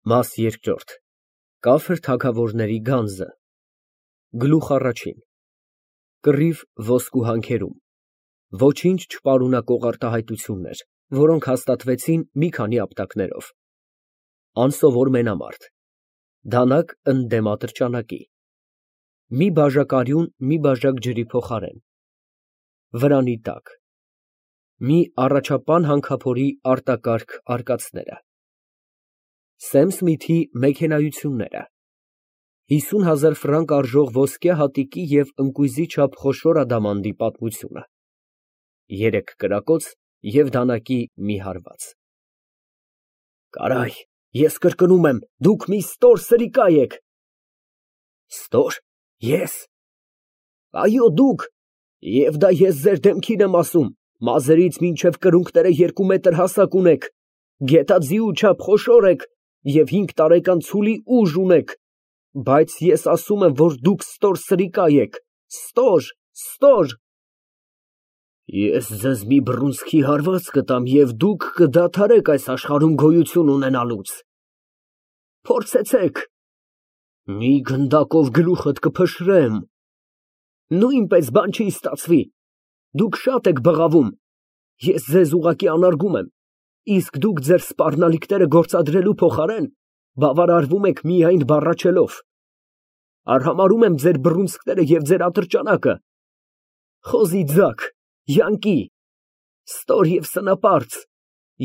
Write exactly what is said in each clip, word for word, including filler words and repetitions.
Մաս երկրորդ Կաֆր թագավորների գանձը Գլուխ առաջին Կռիվ ոսկու հանքերում Ոչինչ չպարունակող արտահայտություններ, որոնք հաստատվեցին մի քանի ապտակներով Անսովոր մենամարտ Դանակ ընդդեմ ատրճանակի Մի բաժակ արյուն մի բաժակ ջրի փոխարեն Վրանի տակ Մի առաջապան հանքափորի արտակարգ արկածները Սեմ Սմիթի մեքենայությունները հիսուն հազար ֆրանկ արժող ոսկե հատիկի և ընկույզի չափ խոշոր ադամանդի պատմությունը Երեք կրակոց և դանակի մի հարված Կարայ, ես կրկնում եմ, դուք մի ստոր սրիկա եք։ Ստոր, ես։ Այո, դուք, և դա ես ձեր դեմքին եմ ասում, մազերից մինչև կրունկները երկու մետր հասակ ունեք, գետաձիու չափ խոշոր եք և հինգ տարեկան ցուլի ուժ ունեք, բայց ես ասում եմ, որ դուք ստոր սրիկա եք, ստոր, ստոր։ Ես ձեզ մի բռունցքի հարված կտամ և դուք կդադարեք այս աշխարհում գոյություն ունենալուց։ Փորձեցեք։ Մի գնդակով գլուխդ կփշրեմ։ Նույնպես բան չի ստացվի։ Դուք շատ եք բղավում։ Ես ձեզ ուղղակի անարգում եմ, իսկ դուք ձեր սպառնալիքները գործադրելու փոխարեն բավարարվում եք միայն բառաչելով։ Արհամարհում եմ ձեր բռունցքները և ձեր ատրճանակը։ Խոզի ձագ, յանկի, ստոր և սնապարծ,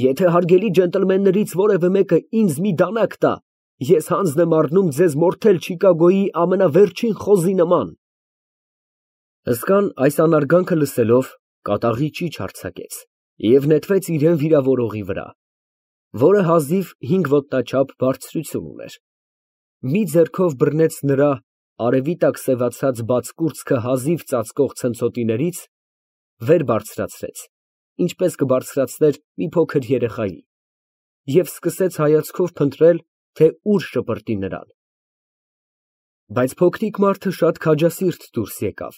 եթե հարգելի ջենտլմեններից որևէ մեկը ինձ մի դանակ տա, ես հանձն եմ առնում ձեզ մորթել Չիկագոյի ամենավերջին խոզի նման։ Հսկան այս անարգանքը լսելով, կատաղի ճիչ արձակեց և նետվեց իրան վիրավորողի վրա, որը հազիվ հինգ ոտնաչափ բարձրություն ուներ, մի ձեռքով բռնեց նրա արևի տակ սևացած բաց կուրծքը հազիվ ծածկող ցնցոտիներից, վեր բարձրացրեց, ինչպես կբարձրացներ մի փոքր երեխայի, և սկսեց հայացքով փնտրել, թե ուր շպրտի նրան։ Բայց փոքրիկ մարդը շատ քաջասիրտ դուրս եկավ։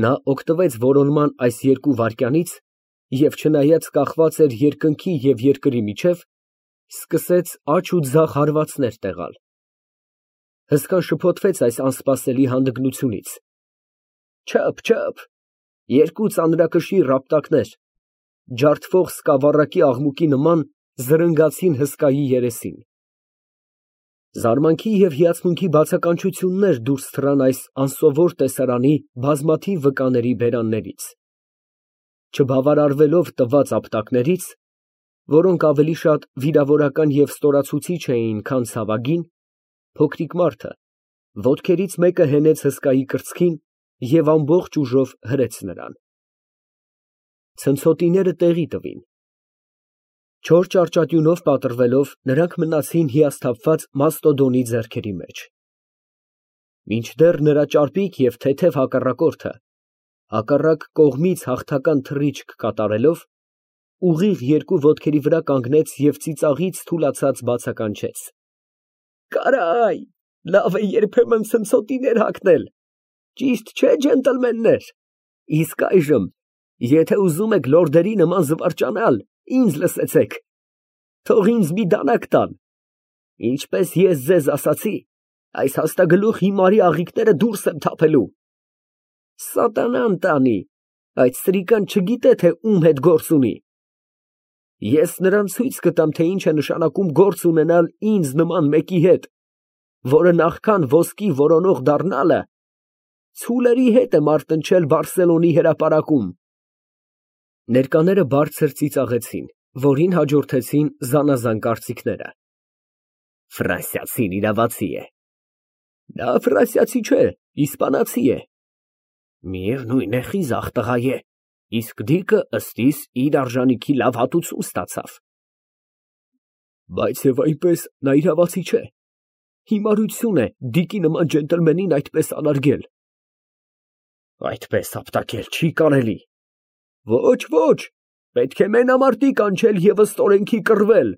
Նա օգտվեց որոնման այս երկու վայրկյանից և չնայած կախված էր երկնքի և երկրի միջև, սկսեց աջ ու ձախ հարվածներ տեղալ։ Հսկան շփոթվեց այս անսպասելի հանդգնությունից։ Չըփ, չըփ, երկու ծանրակշիռ ապտակներ, ջարդվող սկավառակի աղմուկի նման զրնգացին հսկայի երեսին։ Զարմանքի և հիացմունքի բացականչություններ դուրս թռան այս անսովոր տեսարանի բազմաթիվ վկաների բերաններից։ Չբավարարվելով տված ապտակներից, որոնք ավելի շատ վիրավորական և ստորացուցիչ էին, քան ցավագին, փոքրիկ մարդը ոտքերից մեկը հենեց հսկայի կրծքին և ամբողջ ուժով հրեց նրան։ Ցնցոտիները տեղի տվին։ Չոր ճարճատյունով պատռվելով, նրանք մնացին հիասթափված Մաստոդոնի ձեռքերի մեջ։ Մինչդեռ նրա ճարպիկ և թեթև հակառակորդը, հակառակ կողմից հաղթական թռիչք կատարելով, ուղիղ երկու ոտքերի վրա կանգնեց և ծիծաղից թուլացած բացականչեց. Կարայ, լավ է երբեմն ցնցոտիներ հագնել, ճիշտ չէ՞, ջենտլմեններ, իսկ այժմ, եթե ուզում եք լորդերի նման զվարճանալ, ինձ լսեցեք, թող ինձ մի դանակ տան, ինչպես ես ձեզ ասացի, այս հաստագլուխ հիմարի աղիքները դուրս եմ թափելու։ Սատանան տանի, այդ սրիկան չգիտե, թե ում հետ գործ ունի։ Ես նրան ցույց կտամ, թե ինչ է նշանակում գործ ունենալ ինձ նման մեկի հետ, որը նախքան ոսկի որոնող դառնալը, ցուլերի հետ է մարտնչել Բարսելոնի հրապարակում։ Ներկաները բարձր ծիծաղեցին, որին հաջորդեցին զանազան կարծիքները։ Ֆրանսիացին իրավացի է։ Նա ֆրանսիացի չէ, իսպանացի է։ Միևնույն է, խիզախ տղա է, իսկ դիկը ըստ իս իր արժանիքի լավ հատուցում ստացավ։ Բայց և այնպես նա իրավացի չէ։ Հիմարություն է դիկի նման ջենտլմենին այդպես անարգել։ Այդպես ապտակել չի կարելի։ Ոչ, ոչ, պետք է մենամարտի կանչել և ըստ օրենքի կռվել։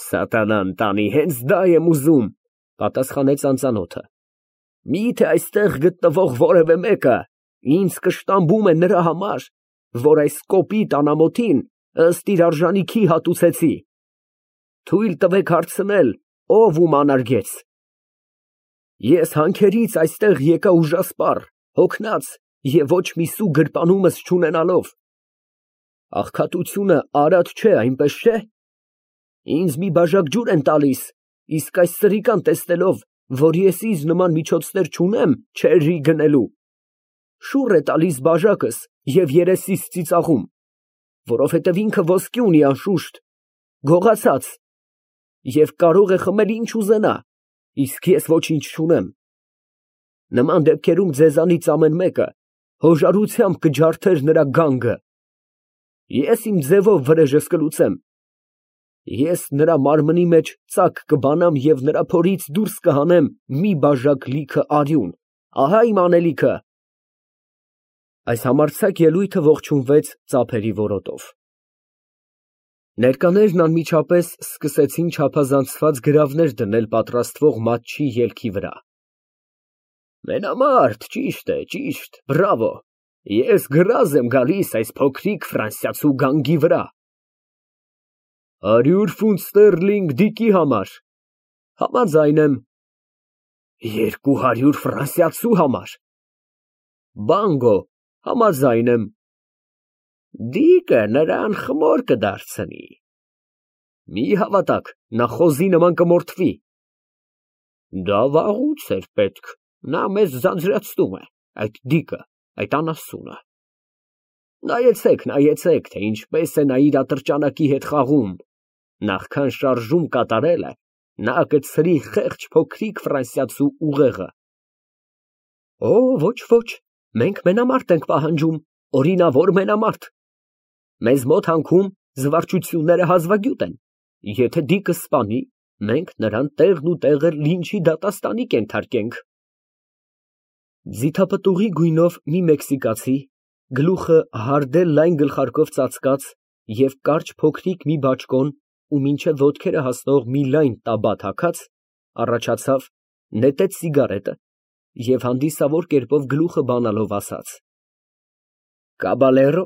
Սատանան տանի, հենց դա եմ ուզում, պատասխանեց անծանոթը։ Միթե այստեղ գտնվող որևէ մեկը ինձ կշտամբում է նրա համար, որ այս կոպիտ անամոթին ըստ իր արժանիքի հատուցեցի։ Թույլ տվեք հարցնել, ով ում անարգեց։ Ես հանքերից այստեղ եկա ուժասպառ, հոգնած և ոչ մի սու գրպանումս չունենալով։ Աղքատությունը արատ չէ, այնպես չէ՞։ Ինձ մի բաժակ ջուր են տալիս, իսկ այս սրիկան տեսնելով, որ ես ինձ նման միջոցներ չունեմ չերի գնելու, շուռ է տալիս բաժակս և երեսիս ծիծաղում, որովհետև ինքը ոսկի ունի անշուշտ, գողացած, և կարող է խմել ինչ ուզենա, իսկ ես ոչինչ չունեմ։ Նման դեպքերում ձեզանից ամեն մեկը հոժարությամբ կջարդեր նրա գանգը։ Ես իմ ձևով վրեժս կլուծեմ։ Ես նրա մարմնի մեջ ծակ կբանամ և նրա փորից դուրս կհանեմ մի բաժակ լիքը արյուն, ահա իմ անելիքը։ Այս համարձակ ելույթը ողջունվեց ծափերի որոտով։ Ներկաներն անմիջապես սկսեցին չափազանցված գրավներ դնել պատրաստվող մատչի ելքի վրա։ Մենամարտ, ճիշտ է, ճիշտ, բրավո, ես գրազ եմ գալիս այս փոքրիկ ֆրանսիացու գանգի վրա։ Հարյուր ֆունտ ստերլինգ Դիկի համար։ Համաձայն եմ։ Երկու հարյուր ֆրանսիացու համար։ Բանգո, համաձայն եմ։ Դիկը նրան խմոր կդարձնի։ Մի հավատակ, նա խոզի նման կմորթվի։ Դա վաղուց էր պետք, նա մեզ ձանձրացնում է, այդ դիկը, այդ անասունը։ Նայեցեք, նայեցեք, թե ինչպես է նա իր ատրճանակի հետ խաղում, նախքան շարժում կատարելը, նա կցրի խեղճ փոքրիկ ֆրանսիացու ուղեղը։ Օ, ոչ, ոչ, մենք մենամարտ ենք պահանջում, օրինավոր մենամարտ։ Մեզ մոտ հանքում զվարճությունները հազվագյուտ են, եթե դիկը սպանի, մենք նրան տեղն ու տեղը լինչի դատաստանի կենթարկենք։ Ձիթապտուղի գույնով մի մեքսիկացի, գլուխը հարդել լայն գլխարկով ծածկած և կարճ փոքրիկ մի բաճկոն ու մինչև ոտքերը հասնող մի լայն տաբատ հագած, առաջացավ, նետեց սիգարետը և հանդիսավոր կերպով գլուխը բանալով ասաց. Կաբալերո,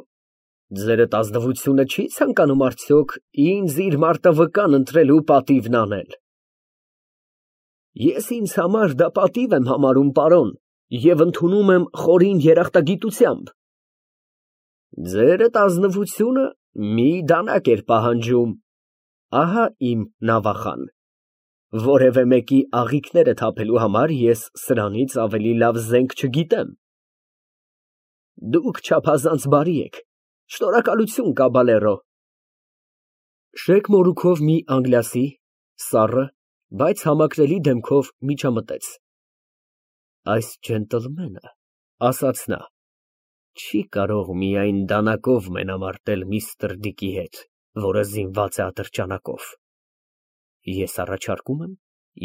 ձերդ ազնվությունը չի ցանկանում արդյոք ինձ իր մարտավկան ընտրելու պատիվն անել։ Ես ինձ համար դա պատիվ եմ համարում, պարոն, և ընդունում եմ խորին երախտագիտությամբ։ Ձերդ ազնվությունը մի դանակ էր պահանջում, ահա իմ նավախան, որևէ մեկի աղիքները թափելու համար ես սրանից ավելի լավ զենք չգիտեմ։ Դուք չափազանց բարի եք, շնորհակալություն, կաբալերո։ Շեկ մորուքով մի անգլիասի, սառը, բայց համակրելի դեմքով միջամտեց։ Այս ջենտլմենը, ասաց նա, չի կարող միայն դանակով մենամարտել միստր Դիկի հետ, որը զինված է ատրճանակով։ Ես առաջարկում եմ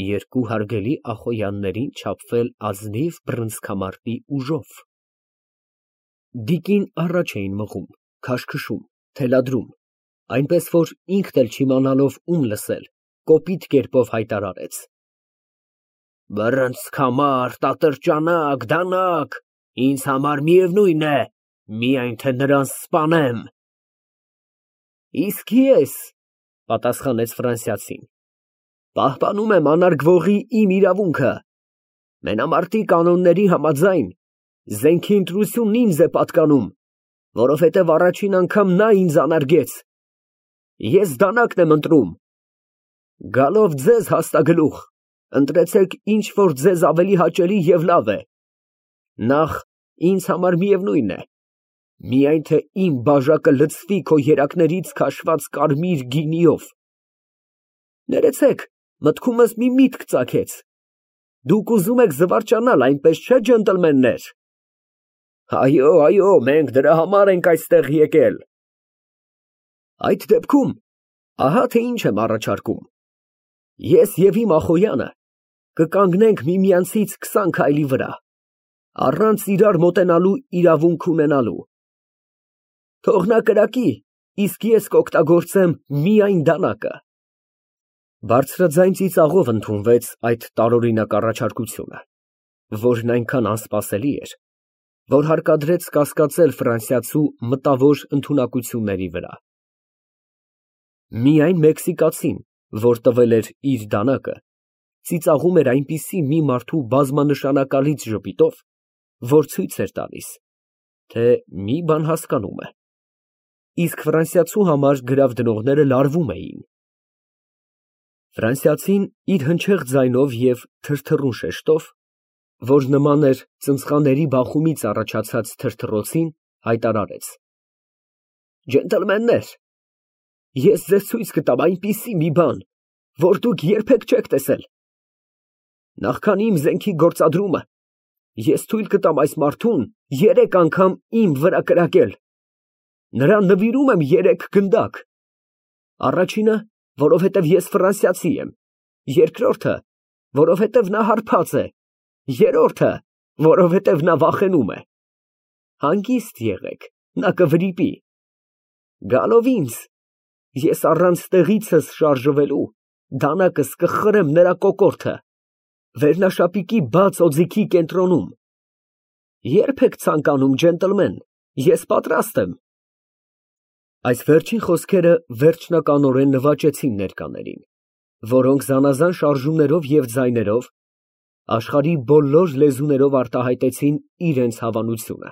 երկու հարգելի ախոյաններին չափվել ազնիվ բռնցքամարտի ուժով։ Դիկին առաջ էին մղում, քաշքշում, թելադրում, այնպես որ ինքն էլ չիմանալով ում լսել, կոպիտ կերպով հայտարարեց. Բռնցքամարտ, ատրճանակ, դանակ, ինձ համար միևնույն է, միայն թե նրան սպանեմ։ Իսկ ես, պատասխանեց ֆրանսիացին, պահպանում եմ անարգվողի իմ իրավունքը։ Մենամարտի կանոնների համաձայն զենքի ընտրությունն ինձ է պատկանում, որովհետև առաջին անգամ նա ինձ անարգեց։ Ես դանակն եմ ընտրում։ Գալով ձեզ հաստագլուխ, ընտրեցեք ինչ որ ձեզ ավելի հաճելի և լավ է։ Նախ, ինձ համար միևնույն է, միայն թե իմ բաժակը լցվի քո երակներից քաշված կարմիր գինիով։ Ներեցեք, մտքումս մի միտք ծագեց։ Դուք ուզում եք զվարճանալ, այնպես չէ, ջենտլմեններ։ Այո, այո, մենք դրա համար ենք այստեղ եկել։ Այդ դեպքում, ահա թե ինչ եմ առաջարկում։ Ես և իմ ախոյանը կկանգնենք միմյանցից քսան քայլի վրա, առանց իրար մոտենալու իրավունք ունենալու։ Թող նա կրակի, իսկ ես կօգտագործեմ միայն դանակը։ Բարձրաձայն ծիծաղով ընդունվեց այդ տարօրինակ առաջարկությունը, որն այնքան անսպասելի էր, որ հարկադրեց կասկածել ֆրանսիացու մտավոր ընդունակությունների վրա։ Միայն մեքսիկացին որ տվել էր իր դանակը, ծիծաղում էր այնպիսի մի մարդու բազմանշանակալից ժպիտով, որ ցույց էր տալիս, թե մի բան հասկանում է, իսկ ֆրանսիացու համար գրավ դնողները լարվում էին։ Ֆրանսիացին իր հնչեղ ձայնով և թրթռուն շեշտով, որ նման էր ծնցղաների բախումից առաջացած թրթռոցին, հայտարարեց. Ջենտլմեններ, ես ձեզ ցույց կտամ այնպիսի մի բան, որ դուք երբեք չեք տեսել։ Նախքան իմ զենքի գործադրումը, ես թույլ կտամ այս մարդուն երեք անգամ իմ վրա կրակել։ Նրան նվիրում եմ երեք գնդակ. առաջինը, որովհետև ես ֆրանսիացի եմ, երկրորդը, որովհետև նա հարբած է, երրորդը, որովհետև նա վախենում է։ Հանգիստ եղեք, նա կվրիպի։ Գալով ինձ, ես առանց տեղիցս շարժվելու դանակս կխրեմ նրա կոկորդը, վերնաշապիկի բաց օձիքի կենտրոնում։ Ե՞րբ եք ցանկանում, ջենտլմեն, ես պատրաստ եմ։ Այս վերջին խոսքերը վերջնականորեն նվաճեցին ներկաներին, որոնք զանազան շարժումներով և ձայներով աշխարհի բոլոր լեզուներով արտահայտեցին իրենց հավանությունը։